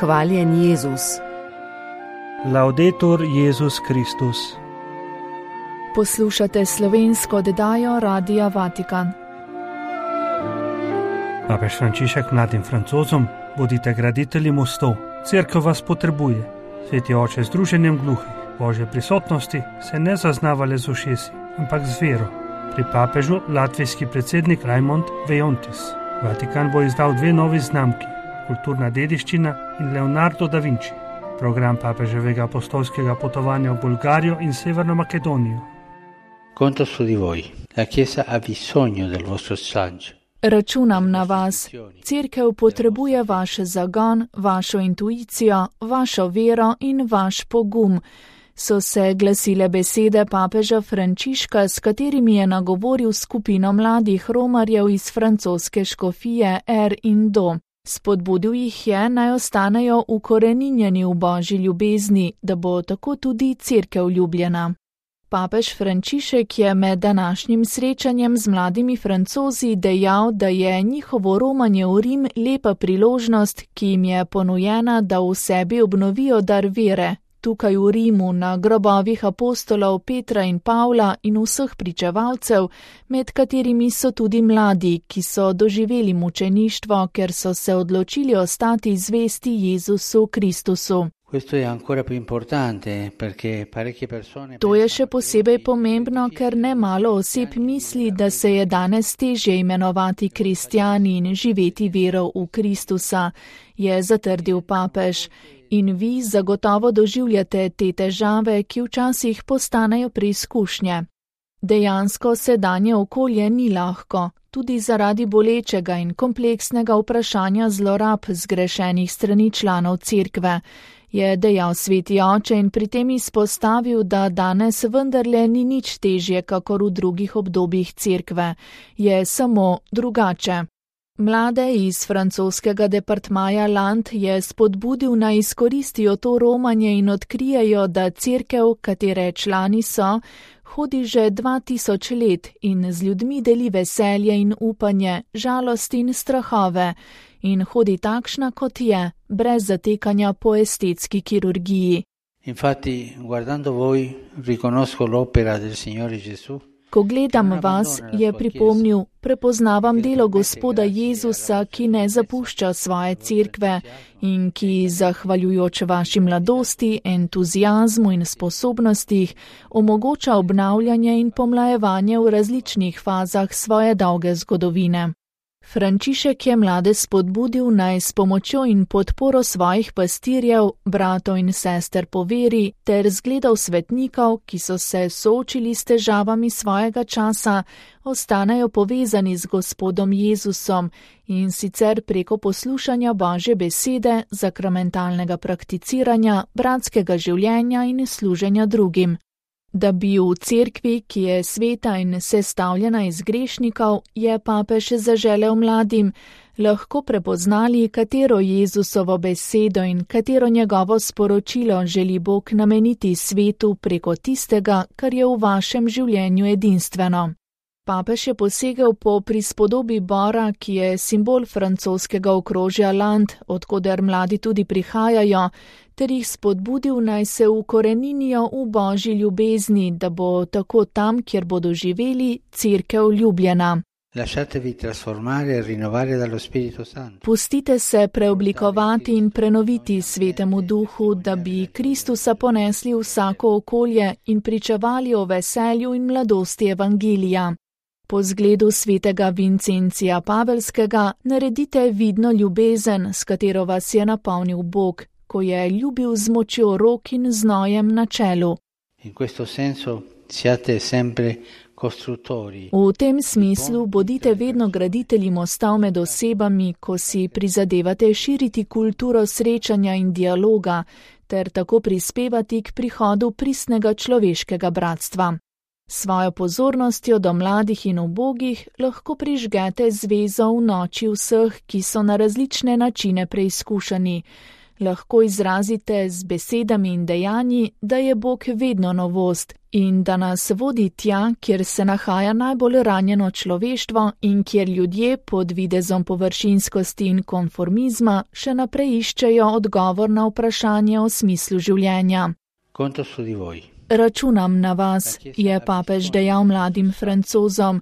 Hvaljen Jezus. Laudetur Jezus Kristus. Poslušate slovensko oddajo Radia Vatikan. Papež Frančišek mladim Francozom: bodite graditelji mostov, cerkev vas potrebuje. Sveti oče, z druženjem gluhih Božje prisotnosti se ne zaznava le z ušesi, ampak z vero. Pri papežu latvijski predsednik Raimond Vejontis. Vatikan bo izdal 2 novi znamki: kulturna dediščina in Leonardo da Vinci. Program papeževega apostolskega potovanja v Bolgarijo in Severno Makedonijo. Conto su di voi. La Chiesa ha bisogno del vostro saggio. Računam na vas. Cerkev potrebuje vaš zagon, vašo intuicijo, vašo vero in vaš pogum. So se glasile besede papeža Frančiška, s katerimi je nagovoril skupino mladih romarjev iz francoske škofije Er in Do. Spodbudil jih je, naj ostanejo ukoreninjeni v Božji ljubezni, da bo tako tudi cerkev ljubljena. Papež Frančišek je med današnjim srečanjem z mladimi Francozi dejal, da je njihovo romanje v Rim lepa priložnost, ki jim je ponujena, da v sebi obnovijo dar vere. Tukaj v Rimu, na grobovih apostolov Petra in Pavla in vseh pričevalcev, med katerimi so tudi mladi, ki so doživeli mučeništvo, ker so se odločili ostati zvesti Jezusu Kristusu. To je še posebej pomembno, ker nemalo oseb misli, da se je danes težje imenovati kristjani in živeti vero v Kristusa, je zatrdil papež. In vi zagotovo doživljate te težave, ki včasih postanejo preizkušnje. Dejansko sedanje okolje ni lahko, tudi zaradi bolečega in kompleksnega vprašanja zlorab zgrešenih strani članov cerkve, je dejal sveti oče in pri tem izpostavil, da danes vendarle ni nič težje, kakor v drugih obdobjih cerkve, je samo drugače. Mlade iz francoskega departmaja Land je spodbudil, naj izkoristijo to romanje in odkrijejo, da cerkev, katere člani so, hodi že 2000 let in z ljudmi deli veselje in upanje, žalost in strahove in hodi takšna, kot je, brez zatekanja po estetski kirurgiji. Infatti, guardando voi, riconosco l'opera del Signore Gesù. Ko gledam vas, je pripomnil, prepoznavam delo Gospoda Jezusa, ki ne zapušča svoje cerkve in ki, zahvaljujoč vaši mladosti, entuziazmu in sposobnostih, omogoča obnavljanje in pomlajevanje v različnih fazah svoje dolge zgodovine. Frančišek je mlade spodbudil, naj s pomočjo in podporo svojih pastirjev, bratov in sester po veri ter zgledov svetnikov, ki so se soočili s težavami svojega časa, ostanejo povezani z Gospodom Jezusom in sicer preko poslušanja Božje besede, sakramentalnega prakticiranja, bratskega življenja in služenja drugim. Da bi v cerkvi, ki je sveta in sestavljena iz grešnikov, je papež zaželel mladim, lahko prepoznali, katero Jezusovo besedo in katero njegovo sporočilo želi Bog nameniti svetu preko tistega, kar je v vašem življenju edinstveno. Papež je posegel po prispodobi bora, ki je simbol francoskega okrožja Land, odkoder mladi tudi prihajajo, ter jih spodbudil, naj se ukoreninijo v Božji ljubezni, da bo tako tam, kjer bodo živeli, cerkev ljubljena. Pustite se preoblikovati in prenoviti svetemu duhu, da bi Kristusa ponesli v vsako okolje in pričevali o veselju in mladosti evangelija. Po zgledu svetega Vincencija Pavelskega naredite vidno ljubezen, s katero vas je napolnil Bog, ko je ljubil z močjo rok in znojem na čelu. V tem smislu bodite vedno graditelji mostov med osebami, ko si prizadevate širiti kulturo srečanja in dialoga, ter tako prispevati k prihodu pristnega človeškega bratstva. Svojo pozornostjo do mladih in ubogih lahko prižgete zvezo v noči vseh, ki so na različne načine preizkušani. Lahko izrazite z besedami in dejanji, da je Bog vedno novost in da nas vodi tja, kjer se nahaja najbolj ranjeno človeštvo in kjer ljudje pod videzom površinskosti in konformizma še naprej iščejo odgovor na vprašanje o smislu življenja. Conto su di voi. Računam na vas, je papež dejal mladim Francozom.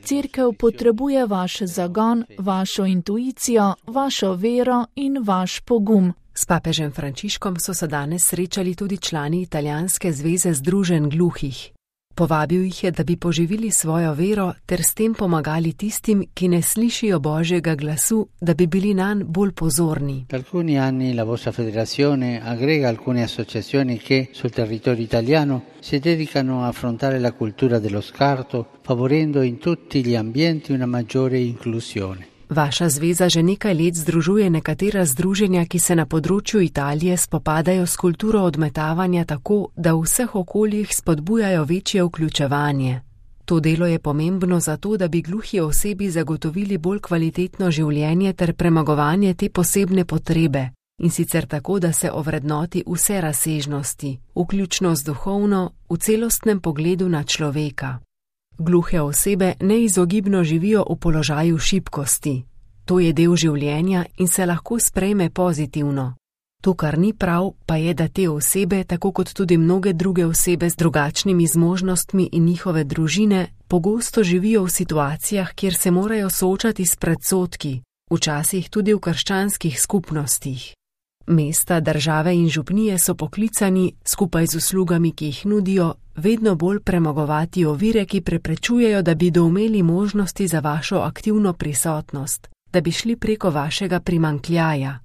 Cerkev potrebuje vaš zagon, vašo intuicijo, vašo vero in vaš pogum. S papežem Frančiškom so se danes srečali tudi člani Italijanske zveze združenj gluhih. Povabil jih je, da bi poživili svojo vero ter s tem pomagali tistim, ki ne slišijo Božjega glasu, da bi bili nanj bolj pozorni. Da alcuni anni la vostra federazione aggrega alcune associazioni che sul territorio italiano si dedicano a affrontare la cultura dello scarto, favorendo in tutti gli ambienti una maggiore inclusione. Vaša zveza že nekaj let združuje nekatera združenja, ki se na področju Italije spopadajo s kulturo odmetavanja tako, da v vseh okoljih spodbujajo večje vključevanje. To delo je pomembno zato, da bi gluhi osebi zagotovili bolj kvalitetno življenje ter premagovanje te posebne potrebe, in sicer tako, da se ovrednoti vse razsežnosti, vključno z duhovno, v celostnem pogledu na človeka. Gluhe osebe neizogibno živijo v položaju šibkosti. To je del življenja in se lahko sprejme pozitivno. To, kar ni prav, pa je, da te osebe, tako kot tudi mnoge druge osebe z drugačnimi zmožnostmi in njihove družine, pogosto živijo v situacijah, kjer se morajo soočati s predsodki, včasih tudi v krščanskih skupnostih. Mesta, države in župnije so poklicani, skupaj z uslugami, ki jih nudijo, vedno bolj premagovati ovire, ki preprečujejo, da bi doumeli možnosti za vašo aktivno prisotnost, da bi šli preko vašega primanjkljaja.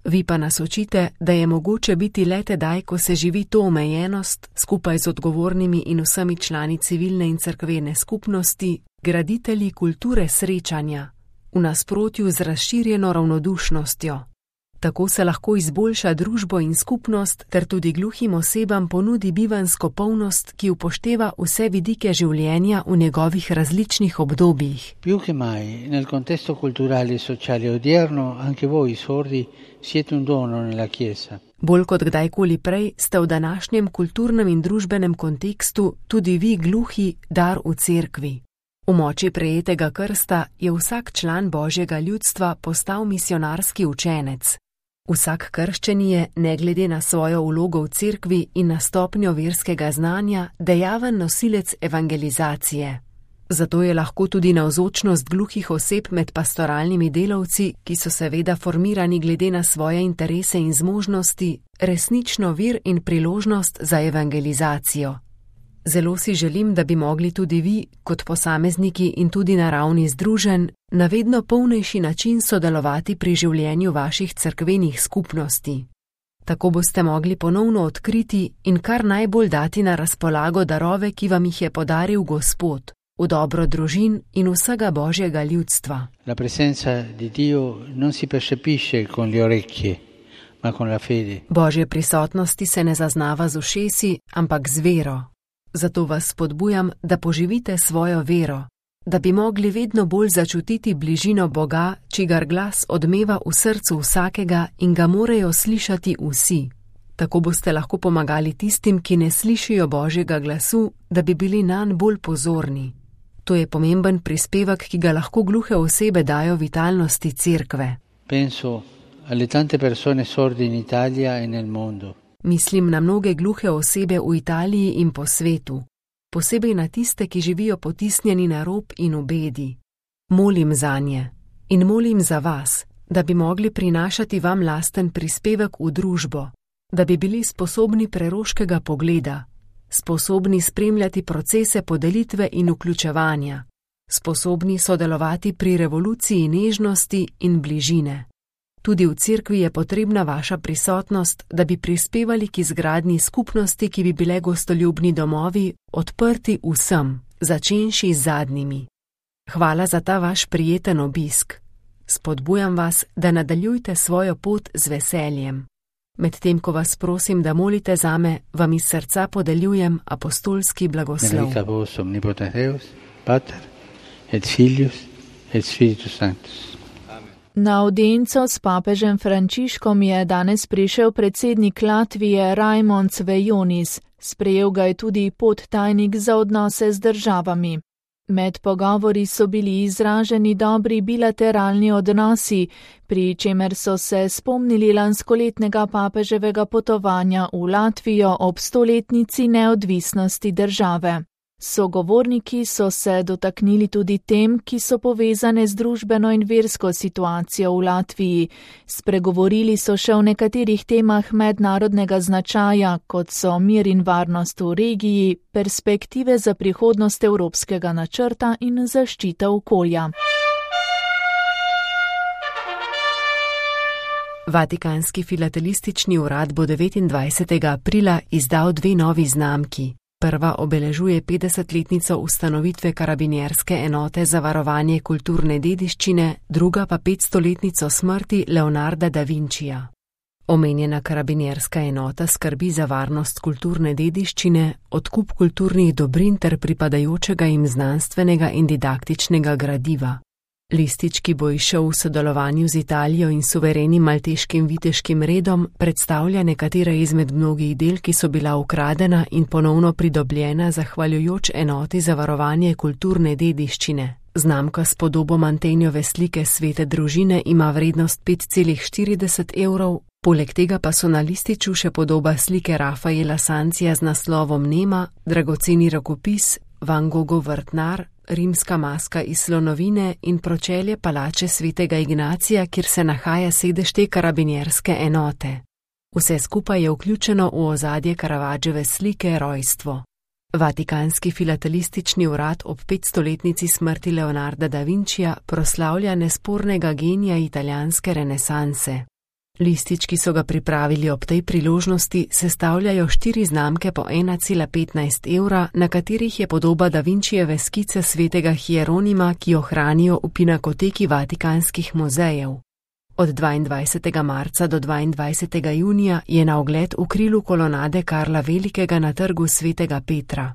Vi pa nas učite, da je mogoče biti le tedaj, ko se živi to omejenost, skupaj z odgovornimi in vsemi člani civilne in cerkvene skupnosti, graditelji kulture srečanja, v nasprotju z razširjeno ravnodušnostjo. Tako se lahko izboljša družbo in skupnost, ter tudi gluhim osebam ponudi bivansko polnost, ki upošteva vse vidike življenja v njegovih različnih obdobjih. Più che mai, nel contesto culturale e sociale odierno, anche voi sordi siete un dono nella Chiesa. Bolj kot kdajkoli prej ste v današnjem kulturnem in družbenem kontekstu tudi vi gluhi dar v cerkvi. V moči prejetega krsta je vsak član Božjega ljudstva postal misionarski učenec. Vsak krščeni je, ne glede na svojo vlogo v cerkvi in na stopnjo verskega znanja, dejaven nosilec evangelizacije. Zato je lahko tudi navzočnost gluhih oseb med pastoralnimi delavci, ki so seveda formirani glede na svoje interese in zmožnosti, resnično vir in priložnost za evangelizacijo. Zelo si želim, da bi mogli tudi vi, kot posamezniki in tudi na ravni združenj, na vedno polnejši način sodelovati pri življenju vaših cerkvenih skupnosti. Tako boste mogli ponovno odkriti in kar najbolj dati na razpolago darove, ki vam jih je podaril Gospod, v dobro družin in vsega Božjega ljudstva. La presenza di Dio non si percepisce con le orecchie, ma con la fede. Božje prisotnosti se ne zaznava z ušesi, ampak z vero. Zato vas spodbujam, da poživite svojo vero, da bi mogli vedno bolj začutiti bližino Boga, čigar glas odmeva v srcu vsakega in ga morajo slišati vsi. Tako boste lahko pomagali tistim, ki ne slišijo Božjega glasu, da bi bili nanj bolj pozorni. To je pomemben prispevek, ki ga lahko gluhe osebe dajo vitalnosti cerkve. Penso alle tante persone sorde in Italia e nel mondo. Mislim na mnoge gluhe osebe v Italiji in po svetu, posebej na tiste, ki živijo potisnjeni na rob in v bedi. Molim zanje in molim za vas, da bi mogli prinašati vam lasten prispevek v družbo, da bi bili sposobni preroškega pogleda, sposobni spremljati procese podelitve in vključevanja, sposobni sodelovati pri revoluciji nežnosti in bližine. Tudi v cerkvi je potrebna vaša prisotnost, da bi prispevali k izgradnji skupnosti, ki bi bile gostoljubni domovi, odprti vsem, začenši z zadnjimi. Hvala za ta vaš prijeten obisk. Spodbujam vas, da nadaljujte svojo pot z veseljem. Medtem, ko vas prosim, da molite zame, vam iz srca podeljujem apostolski blagoslov. Benedicat vos omnipotens Deus, Pater et Filius et Spiritus Sanctus. Na audienco s papežem Frančiškom je danes prišel predsednik Latvije Raimons Vejonis. Sprejel ga je tudi podtajnik za odnose z državami. Med pogovori so bili izraženi dobri bilateralni odnosi, pri čemer so se spomnili lanskoletnega papeževega potovanja v Latvijo ob 100-letnici neodvisnosti države. Sogovorniki so se dotaknili tudi tem, ki so povezane z družbeno in versko situacijo v Latviji. Spregovorili so še o nekaterih temah mednarodnega značaja, kot so mir in varnost v regiji, perspektive za prihodnost evropskega načrta in zaščita okolja. Vatikanski filatelistični urad bo 29. aprila izdal 2 novi znamki. Prva obeležuje 50-letnico ustanovitve karabinjerske enote za varovanje kulturne dediščine, druga pa 500-letnico smrti Leonarda da Vincija. Omenjena karabinjerska enota skrbi za varnost kulturne dediščine, odkup kulturnih dobrin ter pripadajočega jim znanstvenega in didaktičnega gradiva. Listič, ki bo izšel v sodelovanju z Italijo in suverenim malteškim viteškim redom, predstavlja nekatera izmed mnogih del, ki so bila ukradena in ponovno pridobljena zahvaljujoč enoti za varovanje kulturne dediščine. Znamka s podobo Mantenjove slike Svete družine ima vrednost 5,40 €, poleg tega pa so na lističu še podoba slike Rafaela Sancija z naslovom Nema, dragoceni rokopis, Van Gogov vrtnar, rimska maska iz slonovine in pročelje palače svetega Ignacija, kjer se nahaja sedež te karabinjerske enote. Vse skupaj je vključeno v ozadje Caravaggiove slike Rojstvo. Vatikanski filatelistični urad ob 500-letnici smrti Leonarda da Vincija proslavlja nespornega genija italijanske renesanse. Listič, ki so ga pripravili ob tej priložnosti, sestavljajo 4 znamke po 1,15 €, na katerih je podoba da Vinčijeve skice svetega Hieronima, ki jo hranijo v pinakoteki Vatikanskih muzejev. Od 22. marca do 22. junija je na ogled v krilu kolonade Karla Velikega na trgu svetega Petra.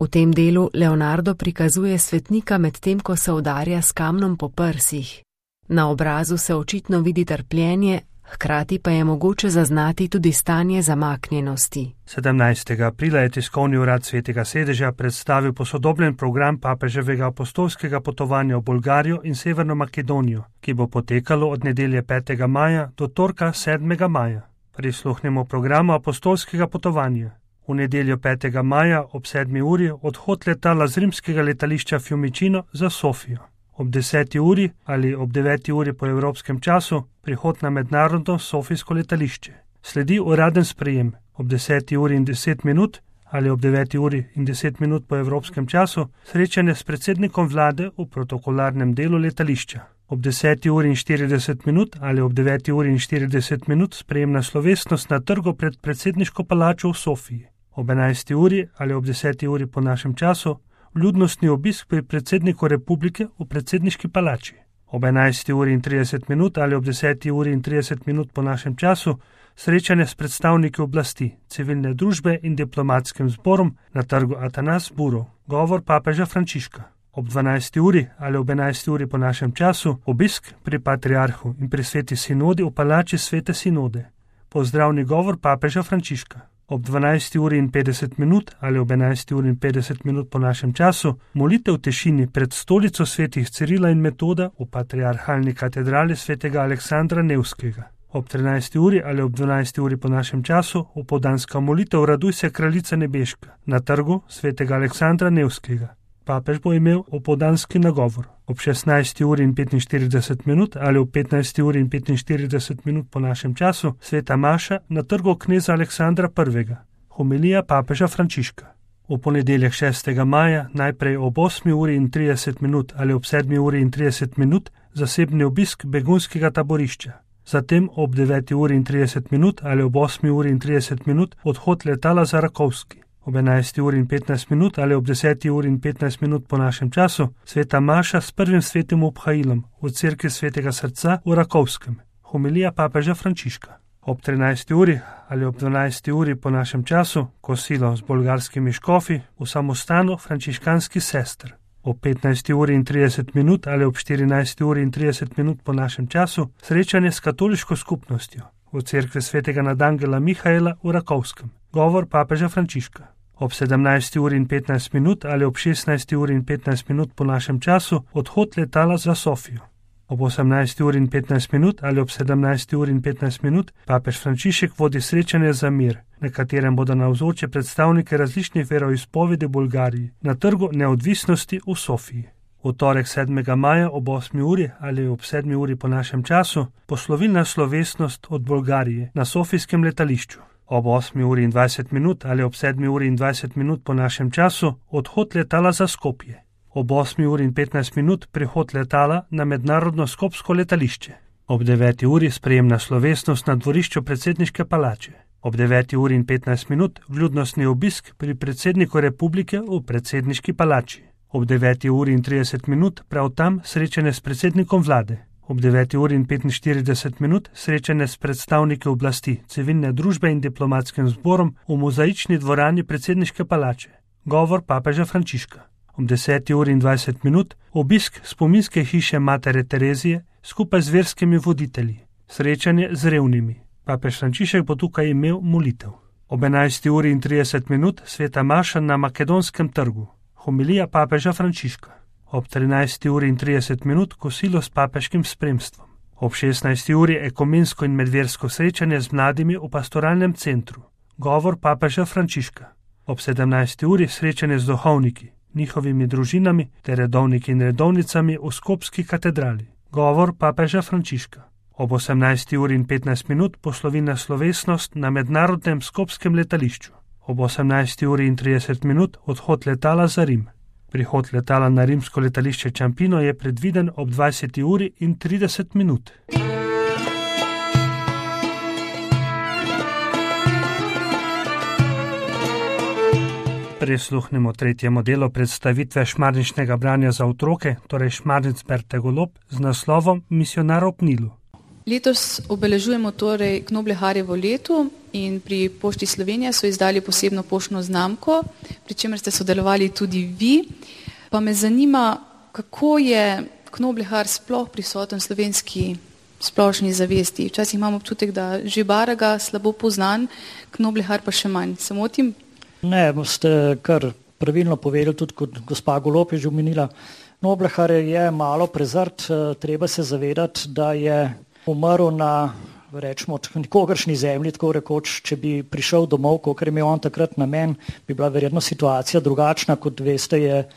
V tem delu Leonardo prikazuje svetnika medtem, ko se udarja s kamnom po prsih. Na obrazu se očitno vidi trpljenje, hkrati pa je mogoče zaznati tudi stanje zamaknjenosti. 17. aprila je tiskovni urad Svetega sedeža predstavil posodobljen program papeževega apostolskega potovanja v Bolgarijo in Severno Makedonijo, ki bo potekalo od nedelje 5. maja do torka 7. maja. Prisluhnemo programu apostolskega potovanja. V nedeljo 5. maja ob 7. uri odhod letala z rimskega letališča Fiumicino za Sofijo. Ob 10. uri ali ob 9. uri po evropskem času prihod na mednarodno sofijsko letališče. Sledi uraden sprejem ob 10. uri in 10 minut ali ob 9. uri in 10 minut po evropskem času srečanje s predsednikom vlade v protokolarnem delu letališča. Ob 10. uri in 40 minut ali ob 9. uri in 40 minut sprejemna slovesnost na trgu pred predsedniško palačo v Sofiji. Ob 11. uri ali ob 10. uri po našem času vljudnostni obisk pri predsedniku republike v predsedniški palači. Ob 11. uri in 30 minut ali ob 10. uri in 30 minut po našem času srečanje s predstavniki oblasti, civilne družbe in diplomatskim zborom na trgu Atanas Burov, govor papeža Frančiška. Ob 12. uri ali ob 11. uri po našem času obisk pri patriarhu in pri sveti sinodi v palači svete sinode, pozdravni govor papeža Frančiška. Ob 12. uri in 50 minut ali ob 11. uri in 50 minut po našem času molitev v tišini pred stolico svetih Cirila in Metoda v patriarhalni katedrali svetega Aleksandra Nevskega. Ob 13. uri ali ob 12. uri po našem času opoldanska molitev Raduj se kraljica nebeška na trgu svetega Aleksandra Nevskega. Papež bo imel opoldanski nagovor. Ob 16. uri in 45 minut ali ob 15. uri in 45 minut po našem času sveta maša na trgu kneza Aleksandra I. Homilija papeža Frančiška. V ponedeljek 6. maja najprej ob 8. uri in 30 minut ali ob 7. uri in 30 minut zasebni obisk begunskega taborišča. Zatem ob 9. uri in 30 minut ali ob 8. uri in 30 minut odhod letala za Rakovski. Ob 11. uri in 15 minut ali ob 10. uri in 15 minut po našem času sveta maša s prvim svetim obhajilom v cerkvi svetega srca v Rakovskem. Homilija papeža Frančiška. Ob 13. uri ali ob 12. uri po našem času kosilo z bolgarskimi škofi v samostanu frančiškanskih sester. Ob 15:30 ali ob 14:30 po našem času srečanje s katoliško skupnostjo v cerkvi svetega nadangela Mihaela v Rakovskem. Govor papeža Frančiška. Ob 17:15 ali ob 16:15 po našem času odhod letala za Sofijo. Ob 18:15 ali ob 17:15 papež Frančišek vodi srečanje za mir, na katerem bodo navzoči predstavniki različnih veroizpovedi v Bolgariji na Trgu neodvisnosti v Sofiji. V torek 7. maja ob 8. uri ali ob 7. uri po našem času poslovilna slovesnost od Bolgarije na Sofijskem letališču. Ob 8:20 ali ob 7:20 po našem času odhod letala za Skopje. Ob 8:15 prihod letala na mednarodno skopsko letališče. Ob 9. uri sprejemna slovesnost na dvorišču predsedniške palače. Ob 9:15 vljudnostni obisk pri predsedniku republike v predsedniški palači. Ob 9:30 prav tam srečanje s predsednikom vlade. Ob 9:45 srečanje s predstavniki oblasti, civilne družbe in diplomatskim zborom v mozaični dvorani predsedniške palače. Govor papeža Frančiška. Ob 10:20 obisk spominske hiše Matere Terezije skupaj z verskimi voditelji. Srečanje z revnimi. Papež Frančišek bo tukaj imel molitev. Ob 11:30 sveta maša na Makedonskem trgu. Homilija papeža Frančiška. Ob 13:30 kosilo s papeškim spremstvom. Ob 16. uri ekumensko in medversko srečanje z mladimi v pastoralnem centru. Govor papeža Frančiška. Ob 17. uri srečanje z duhovniki, njihovimi družinami ter redovniki in redovnicami v Skopski katedrali. Govor papeža Frančiška. Ob 18:15 poslovilna slovesnost na mednarodnem Skopskem letališču. Ob 18:30 odhod letala za Rim. Prihod letala na rimsko letališče Ciampino je predviden ob 20:30. Prisluhnimo tretjemu delu predstavitve šmarničnega branja za otroke, torej Šmarnic Berte Golob, z naslovom Misionar ob Nilu. Letos obeležujemo torej Knobleharjevo leto in pri Pošti Slovenije so izdali posebno poštno znamko, pri čemer ste sodelovali tudi vi. Pa me zanima, kako je Knoblehar sploh prisoten v slovenski splošni zavesti. Včasih imam občutek, da že Baraga slabo poznan, Knoblehar pa še manj. Se motim? Ne, ste kar pravilno povedali, tudi kot gospa Golob je že omenila. Knoblehar je malo prezrt, treba se zavedati, da je umrl na, rečemo, nikogaršnji zemlji, tako rekoč, če bi prišel domov, kakor je imel on takrat namen, bi bila verjetno situacija drugačna, kot veste, je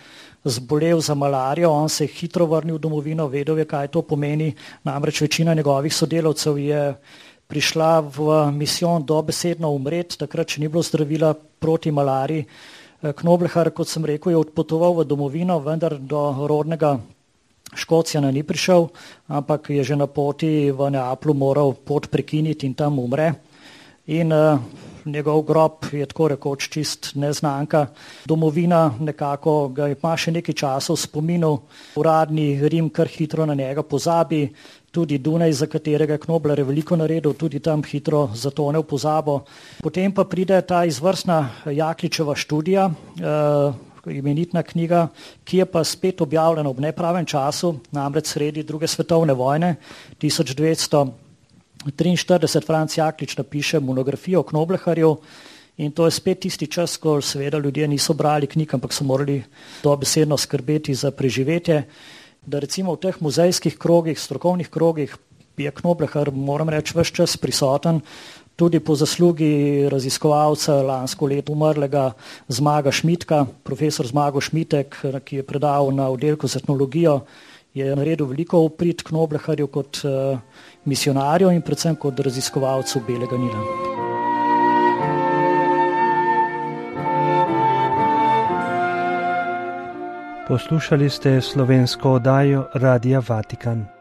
zbolel za malarijo, on se je hitro vrnil v domovino, vedel je, kaj to pomeni, namreč večina njegovih sodelavcev je prišla v misijon dobesedno umret, takrat še ni bilo zdravila proti malariji. Knoblehar, kot sem rekel, je odpotoval v domovino, vendar do rodnega Škocjana ni prišel, ampak je že na poti v Neaplu moral pot prekiniti in tam umre. In njegov grob je tako rekoč čist neznanka. Domovina nekako ga ima še nekaj časa v spominu, uradni Rim kar hitro na njega pozabi, tudi Dunaj, za katerega Knobler je veliko naredil, tudi tam hitro zatone v pozabo. Potem pa pride ta izvrstna Jakličeva študija, imenitna knjiga, ki je pa spet objavljena ob nepravem času, namreč sredi druge svetovne vojne, 1943 Franc Jaklič napiše monografijo o Knobleharju in to je spet tisti čas, ko seveda ljudje niso brali knjig, ampak so morali dobesedno skrbeti za preživetje. Da recimo v teh muzejskih krogih, strokovnih krogih je Knoblehar, moram reči, ves čas prisoten, tudi po zaslugi raziskovalca lansko leto umrlega Zmaga Šmitka, profesor Zmago Šmitek, ki je predaval na oddelku za etnologijo, je naredil veliko v prid Knobleharju kot misionarju in predvsem kot raziskovalcu Belega Nila. Poslušali ste slovensko oddajo Radia Vatikan.